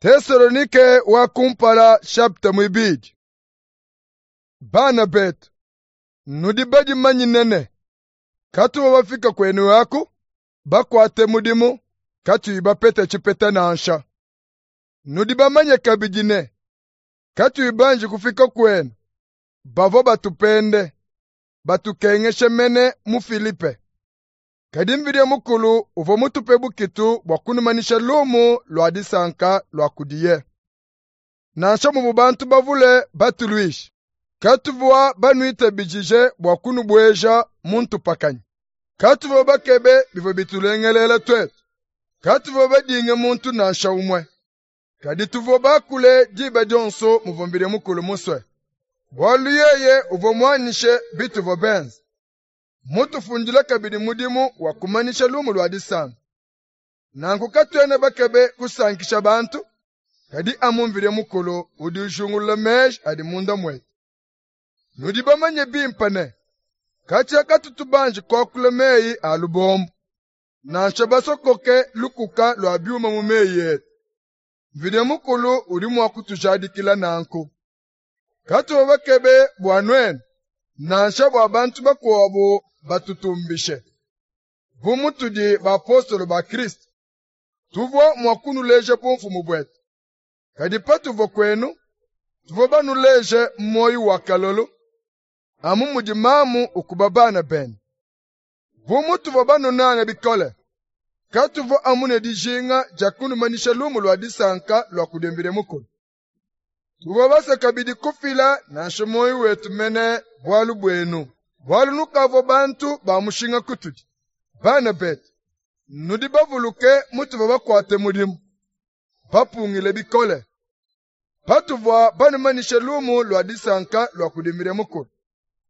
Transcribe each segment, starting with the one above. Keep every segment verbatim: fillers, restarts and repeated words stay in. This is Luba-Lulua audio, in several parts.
Tesalonike wa kumpala chapitre muibidi. Bana betu, nudi badimanyine ne katuvua bafika kwenu aku bakuate mudimu katuyi bapete tshipeta nansha. Nudi bamanye kabidi ne katuyi banji kufika kwenu bavua batupende batukengeshe mene mu Filipe. Kadi Mvidie Mukulu uvua mutupe bukitu bua kunumanyisha lumu lua disanka lua kudiye. Nansha muvua bantu bavule batuluishe, katuvua banuitabijije bua kunubueja mu ntupakanyi. Katuvua bakebe bivua bitulengelela tuetu, katuvua badinge muntu nansha umue. Kadi tuvua bakule diba dionso muvua Mvidie Mukulu musue, bualu yeye uvua muanyishe bituvua benze. Mutufundile kabidi mudimu wa kumanyisha lumu lua disanka. Nanku katuena bakebe kusankisha bantu, kadi amu Mvidie Mukulu udi ujingulula meji adi munda muetu. Nudi bamanye bimpe ne katshia katutu banji kuakula meyi a lubombo, nansha basokoke lukuka lua biuma mu meyi etu. Mvidie Mukulu udi mua kutujadikila nanku. Katuvua bakebe bua nuenu, nansha bua bantu bakuabu batutumbishe. Bu mutudi bapostolo ba Kristo, tuvua mua kunuleja bumfumu buetu. Kadi patuvua kwenu, tuvua banuleje muoyo wa kalolo, amu mudi mamu ukuba bana bende. Bu mutuvua banunange bikole, katuvua amu ne dijinga dia kunumanyisha lumu lua disanka lua kudi Mvidie Mukulu. Tuvua basue kabidi kufila nansha muoyo wetu mene bualu buenu, bualu nukavua bantu ba mushinga kutudi. Bana betu, nudi bavuluke mutuvua bakuate mudimu, bapungile bikole, patuvua banumanyishe lumu lua disanka lua kudi Mvidie Mukulu.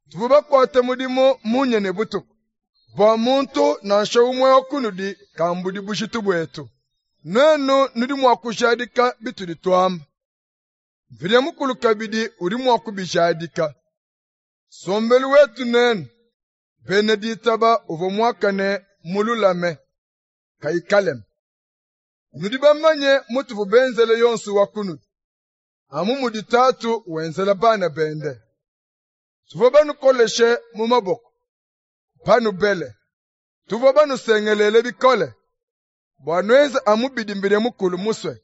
Tuvua bakuate mudimu munya ne butuku, bua muntu nansha umue wa kunudi kambudi bujitu buetu. Nuenu nudi mua kujadika bitudi tuamba. Mvidie Mukulu kabidi udi mua kubijadika. Nsombelu wetu nenu, bena ditaba uvua muakane mululame, kayi kalema. Nudi bamanye mutuvua benzele yonso wa kunudi, amu mudi tatu wenzela bana bende. Tuvua banukoleshe mu maboko, banubele. Tuvua banusengelele bikole, bua nuenze amu bidi Mvidie Mukulu musue.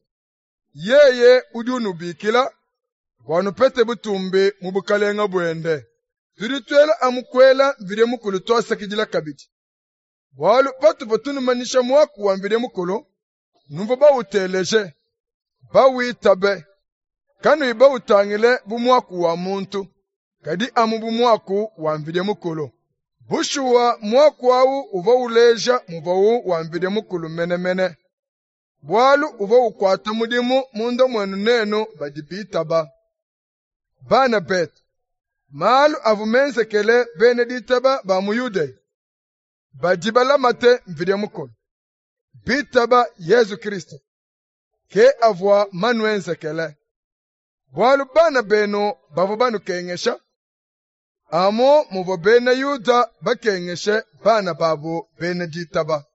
Yeye udi unubikila bua nupete butumbi mu bukalenga buende. Tudi tuela amu kuela Mvidie Mukulu tuasakidila kabidi. Bualu patuvua tunumanyisha muaku wa Mvidie Mukulu, nuvua bawuteleje, bawitabe, kanuyi bawutangile bu muaku wa muntu, kadi amu bu muaku wa Mvidie Mukulu. Bushuwa muaku awu uvua uleja muvuawu wa Mvidie Mukulu menemene, bualu uvua ukuata mudimu munda muenu nenu badi bitaba. Bana betu, malu avua menzekele bena ditaba ba mu Yudeya, badi balamate Mvidie Mukulu, bitaba Yezu Kristo, ke avua manuenzekele. Bualu bana benu bavua banukengesha, amu muvua bena Yuda bakengeshe bana babu bena ditaba.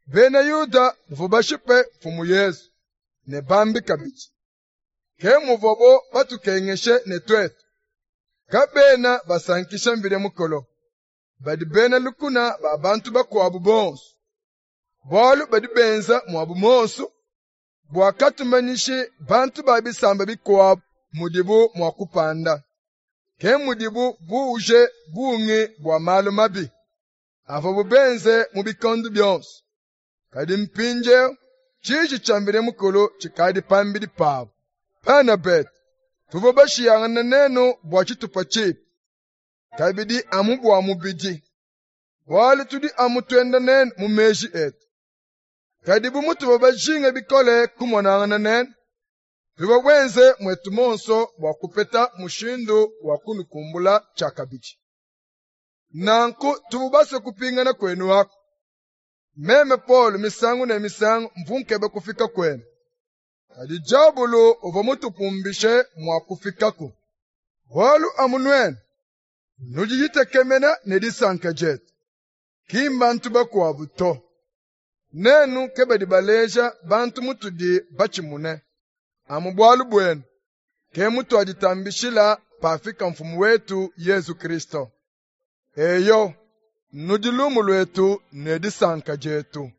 Bena Yuda bavua bashipe Mfumu Yezu ne bambi kabidi. Ke muvuabo batukengeshe ne tuetu. Kabena basankisha Mvidie Mukulu, badi bena lukuna ba bantu bakuabu bonso, bualu badi benza muabu muonso bua katumanyishi bantu ba bisamba bikuabu mudibu mua kupanda. Ke mudibu buuje bungi bua malu mabi avuabu benze mu bikondo bionso. Kadi mpindieu tshiji tshia Mvidie Mukulu tshikadi pambidi pabu. Bana betu, tuvua bashiyangane nenu bua tshitupa tshipi, kabidi amu bua mubidi, bualu tudi amu tuenda nenu mu meji etu. Kadi bu mutuvua bajinge bikole kumonangana nenu, tuvua benze muetu muonso bua kupeta mushindu wa kunukumbula tshiakabidi. Nanku tuvua basue kupingana kwenu aku. Meme Paulo misangu ne misangu mvua nkeba kufika kwenu, kadi diabulu uvua mutupumbishe mua kufikaku. Bualu amu nuenu nudi ditekemena ne disanka dietu, ki mbantu bakuabu to. Nenu ke badi baleja bantu mutudi batshimune. Amu bualu buenu, ke mutuaditambishila pafika Mfumu wetu Yezu Kristo. Eyo, nudi lumu luetu ne disanka dietu.